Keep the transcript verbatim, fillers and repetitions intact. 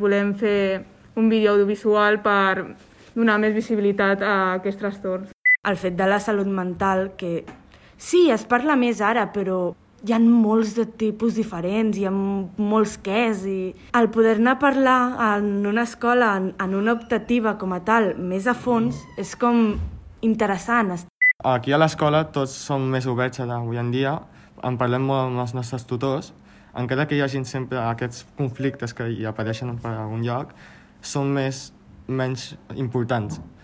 Volem fer un vídeo audiovisual per donar més visibilitat a aquests trastorns. El fet de la salut mental, que sí, es parla més ara, però hi ha molts de tipus diferents, hi ha molts quès, i el poder-ne parlar en una escola, en, en una optativa com a tal, més a fons, és com interessant. Aquí a l'escola tots som més oberts avui en dia, en parlem molt amb els nostres tutors, encara que hi hagi sempre aquests conflictes que hi apareixen per algun lloc, són més, menys importants.